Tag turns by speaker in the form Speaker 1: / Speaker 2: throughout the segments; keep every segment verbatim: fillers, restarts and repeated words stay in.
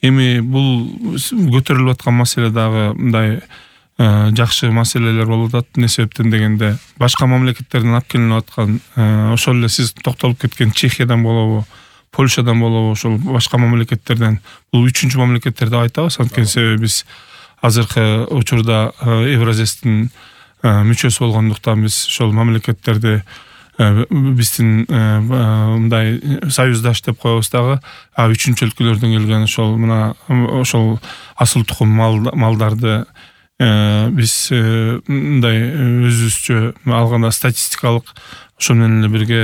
Speaker 1: Эми бул көтөрүлүп аткан маселе дагы мындай жакшы маселелер болуп атат. Эмне себептен дегенде, башка мамлекеттерден алып келинип аткан, ошол эле сиз токтолуп кеткен Чехиядан болобу, Польшадан болобу, ошол башка мамлекеттерден, бул үчүнчү мамлекеттер деп айтабыз. Анткени себеби биз азыркы учурда Евразестин мүчөсү болгондуктан биз ошол мамлекеттерди биздин мындай союздаш деп коебуз дагы. А үчүнчү өлкөлөрдөн келген ошол мына ошол асыл тукум малдарды биз мындай өзүбүзчө алганда статистикалык ошол менен эле бирге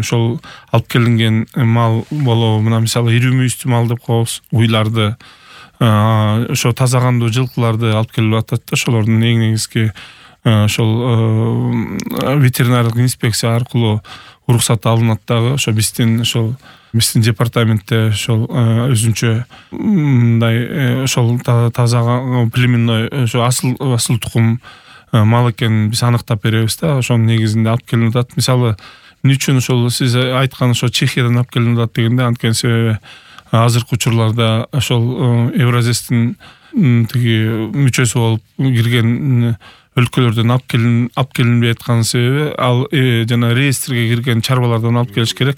Speaker 1: ошол алып келинген мал болобу, мына мисалы ири мүйүздүү мал деп коебуз, уйларды, ошо таза кандуу жылкыларды алып келип атат да. Ошолордун эң негизги ошол ветеринардык инспекция аркылуу уруксат алынат дагы. Ошо биздин ошол биздин департаментте ошол өзүнчө мындай ошол таза племенной ошо асыл асыл тукум мал экенин биз аныктап беребиз да. Ошонун негизинде алып келинип атат. Мисалы, эмне үчүн ошол сиз айткан ошо Чехиядан алып келинип атат дегенде, анткени себеби азыркы учурларда ошол Евразестин тиги мүчөсү болуп кирген өлкөлөрдөн алып келин алып келинбей аткан себеби, ал жана реестрге кирген чарбалардан алып келиш керек.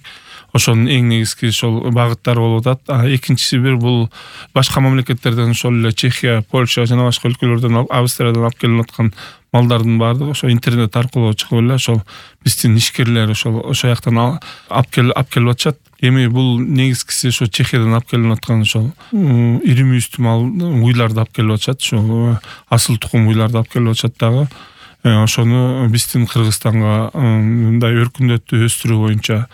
Speaker 1: Ошонун эң негизги ошол багыттары болуп атат. А экинчиси бир бул башка мамлекеттерден, ошол эле Чехия, Польша жана башка өлкөлөрдөн, Австриядан алып келинип аткан малдардын баардыгы ошо интернет аркылуу чыгып эле ошол биздин ишкерлер ошол ошо жактан алып келип алып келип атышат. Эми бул негизгиси ошо Чехиядан алып келинип аткан ошол ири мүйүздүү мал уйларды алып келип атышат. Ошол асыл тукум уйларды алып келип атышат дагы. Ошону биздин Кыргызстанга мындай өркүндөтүү өстүрүү боюнча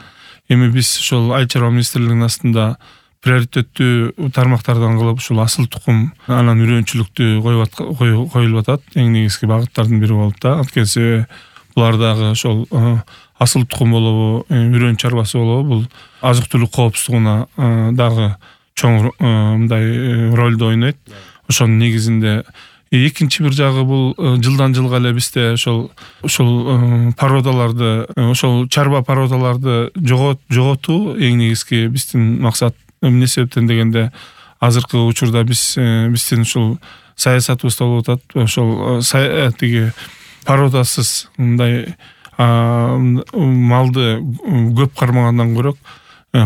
Speaker 1: эми биз ошол Айыл чарба министрлигинин астында приоритеттүү тармактардан кылып ошол асыл тукум анан үрөөнчүлүктү коюлуп атат. Эң негизги багыттардын бири болуп да. Анткени себеби булар дагы ошол асыл тукум болобу, үрөөн чарбасы болобу, бул азык-түлүк коопсуздугуна дагы чоң мындай ролду ойнойт. Ошонун негизинде экинчи бир жагы бул жылдан жылга эле бизде ошол ошол породаларды, ошол чарба породаларды жоготуу эң негизги биздин максат. Эмне себептен дегенде, азыркы учурда биз биздин ушул саясатыбызда болуп атат. Ошол тиги породасыз мындай малды көп кармагандан көрөк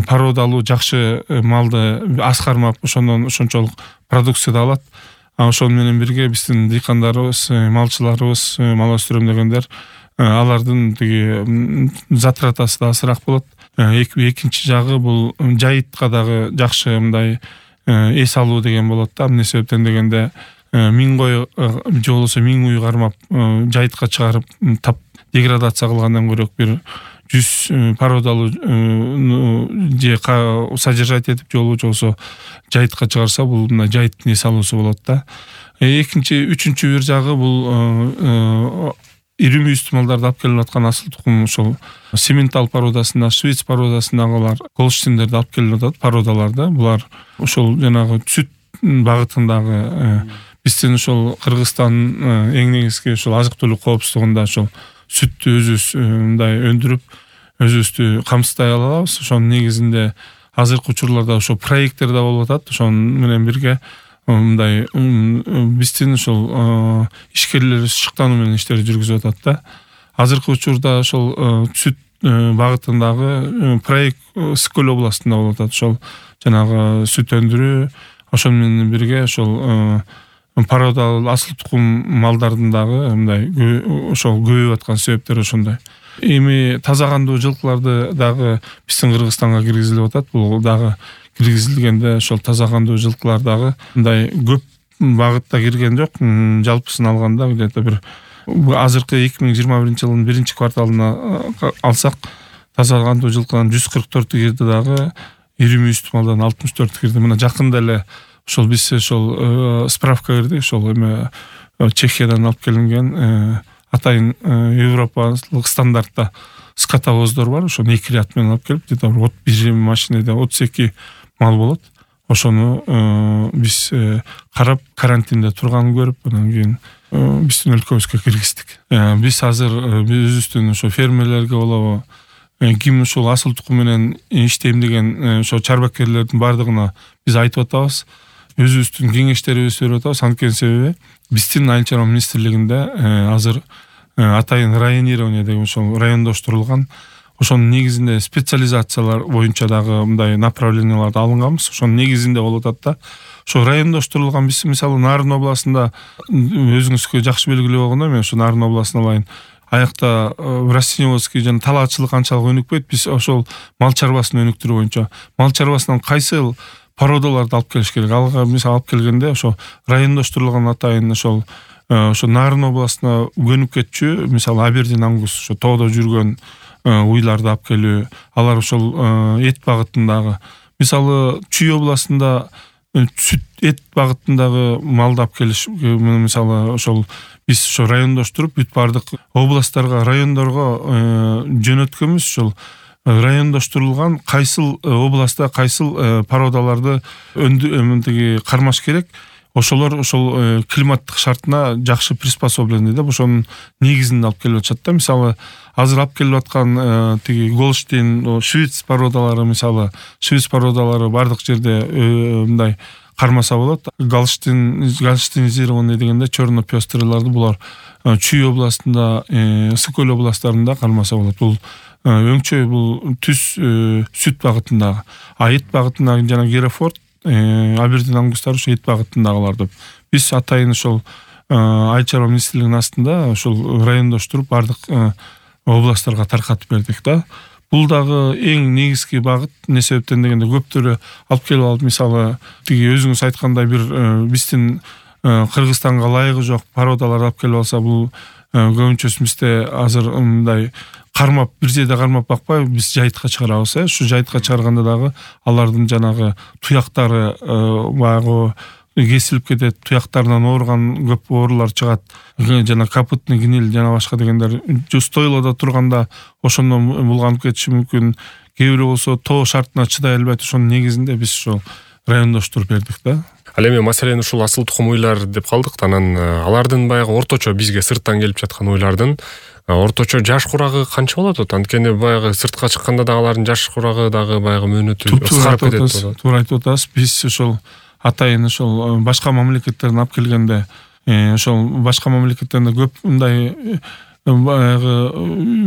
Speaker 1: породалуу жакшы малды аз кармап, ошондон ошончолук продукция да алат. Ошону менен бирге биздин дыйкандарыбыз, малчыларыбыз, мал өстүрөм дегендер, алардын тиги затратасы да азыраак болот. Экинчи жагы бул жайытка дагы жакшы мындай эс алуу деген болот да. Эмне себептен дегенде, миң кой же болбосо миң уй кармап жайытка чыгарып тап деградация кылгандан көрөк бир жүз породалуу же содержать этип же болбосо жайытка чыгарса, бул мына жайыттын эс алуусу болот да. Экинчи, үчүнчү бир жагы бул ири мүйүздүү малдарды алып келип аткан асыл тукум ошол Симментал породасына, Швейц породасындагылар, Голштиндерди алып келип атат породаларды. Булар ошол жанагы сүт багытындагы биздин ошол Кыргызстан эң негизги ошол азык-түлүк коопсуздугунда ошол сүттү өзүбүз мындай өндүрүп, өзүбүздү камсыздай алабыз. Ошонун негизинде азыркы учурларда ошол проекттер да болуп атат. Ошонун менен бирге мындай биздин ошол ишкерлерибиз шыктануу менен иштерди жүргүзүп атат да. Азыркы учурда ошол сүт багытындагы проект Скөл областында болуп атат. Ошол жанагы сүт өндүрүү, ошону менен бирге ошол породалуу асыл тукум малдардын дагы мындай ошол көбөйүп аткан себептери ошондой. Эми таза кандуу жылкыларды дагы биздин Кыргызстанга киргизилип атат. Бул дагы киргизилгенде ошол таза кандуу жылкылар дагы мындай көп багытта кирген жок. Жалпысын алганда где-то бир азыркы эки миң жыйырма биринчи жылдын биринчи кварталына алсак, таза кандуу жылкыдан жүз кырк төртү кирди дагы, ири мүйүздүү малдан алтымыш төртү кирди. Мына жакында эле ошол биз ошол справка кирдик, ошол эме Чехиядан алып келинген атайын европалык стандартта скотовоздор бар. Ошону эки ряд менен алып келип, где-то бир машинеде отуз эки мал болот. Ошону биз карап, карантинде турганын көрүп, анан кийин биздин өлкөбүзгө киргиздик. Биз азыр өзүбүздүн ошо фермерлерге болобу, ким ушул асыл тукум менен иштейм деген ошо чарбакерлердин баардыгына биз айтып атабыз. өзүбүздүн кеңештерибизди берип атабыз. Анткени себеби биздин Айыл чарба министрлигинде азыр атайын районирование деген ошол райондоштурулган ошонун негизинде специализациялар боюнча дагы мындай направленияларды алынганбыз. Ошонун негизинде болуп атат да. Ошо райондоштурулган биз мисалы Нарын областында өзүңүзгө жакшы белгилүү болгондой, мен ошо Нарын областына алайын. Аякта растениеводский жана талаачылык анчалык өнүкпөйт. Биз ошол мал чарбасын өнүктүрүү боюнча мал чарбасынан кайсы породаларды алып келиш керек. Алга мисалы алып келгенде ошо райондоштурулган атайын ошол ошо Нарын областына көнүп кетчү, мисалы Абердин ангус, ошо тоодо жүргөн уйларды алып келүү, алар ошол эт багытындагы, мисалы Чүй областында сүт эт багытындагы малды алып келиш, мисалы ошол биз ошо райондоштуруп бүт бардык областтарга, райондорго жөнөткөнбүз. Ошол райондоштурулган кайсыл областта кайсыл породаларды өндү кармаш керек, ошолор ошол климаттык шартына жакшы приспособлений деп ошонун негизинде алып келип атышат да. Мисалы азыр алып келип аткан тиги Голштейн, швец породалары, мисалы швец породалары бардык жерде мындай кармаса болот. Голштейн, голштейнизированный дегенде черно пёстрыларды булар Чүй областында, Ысык-Көл областарында кармаса болот. Бул өңчөй, бул түз сүт багытындагы. А эт багытындагы жана Герофорд, Абердин ангустары ошо эт багытындагылар деп. Биз атайын ошол Айыл чарба министрлигинин астында ошол райондоштуруп бардык областтарга таркатып бердик да. Бул дагы эң негизги багыт. Не себептен дегенде көптөрү алып келип алып, мисалы тиги өзүңүз айткандай бир биздин Кыргызстанга ылайыгы жок породаларды алып келип алса, бул көбүнчөсү бизде азыр мындай кармап бир жерде кармап бакпай биз жайытка чыгарабыз. Ушу жайытка чыгарганда дагы алардын жанагы туяктары баягы кесилип кетет, туяктарынан ооруган көп оорулар чыгат. Жана капытный гниль жана башка дегендер стойлоодо турганда ошондон булганып кетиши мүмкүн. Кээ бирөө болсо тоо шартына чыдай албайт. Ошонун негизинде биз ошол райондоштуруп бердик да.
Speaker 2: Ал эми маселен ушул асыл тукум уйлар деп калдык. Анан алардын баягы орточо бизге сырттан келип жаткан уйлардын орточо жаш курагы канча болот? Анткени баягы сыртка чыкканда дагы алардын жаш курагы дагы баягы мөөнөтү кыскарып кетет.
Speaker 1: Туура айтып атасыз. Биз ошол атайын ошол башка мамлекеттерден алып келгенде, ошол башка мамлекеттерде көп мындай баягы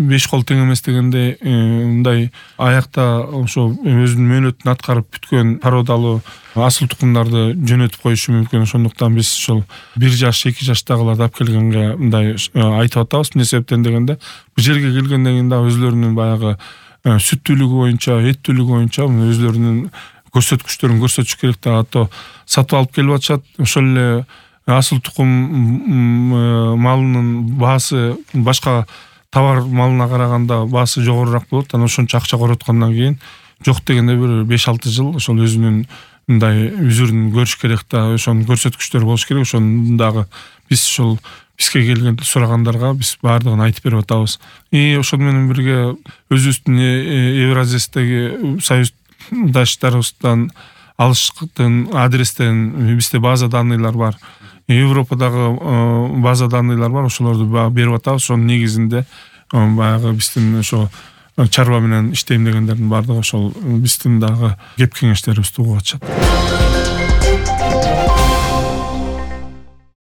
Speaker 1: беш кол тең эмес дегенде мындай аякта ошо өзүнүн мөөнөтүн аткарып бүткөн породалуу асыл тукумдарды жөнөтүп коюшу мүмкүн. Ошондуктан биз ошол бир жаш, эки жаштагыларды алып келгенге мындай айтып атабыз. Эмне себептен дегенде бул жерге келгенден кийин дагы өзлөрүнүн баягы сүттүүлүгү боюнча, эттүүлүгү боюнча өзлөрүнүн көрсөткүчтөрүн көрсөтүш керек да. Ато сатып алып келип атышат. Ошол эле асыл тукум малынын баасы башка товар малына караганда баасы жогорурак болот. Анан ошончо акча короткондон кийин жок дегенде бир беш алты жыл ошол өзүнүн мындай үзүрүн көрүш керек да. Ошонун көрсөткүчтөрү болуш керек. Ошону дагы биз ошол бизге келген сурагандарга биз баардыгын айтып берип атабыз. И ошол менен бирге өзүбүздүн Евразиядагы союздаштарыбыздан алыштын адрестерин бизде база данныйлар бар. Европадагы база данныйлар бар. Ошолорду берип атабыз. Ошонун негизинде баягы биздин ошо чарба менен иштейм дегендердин баардыгы ошол биздин дагы кеп кеңештерибизди угуп атышат.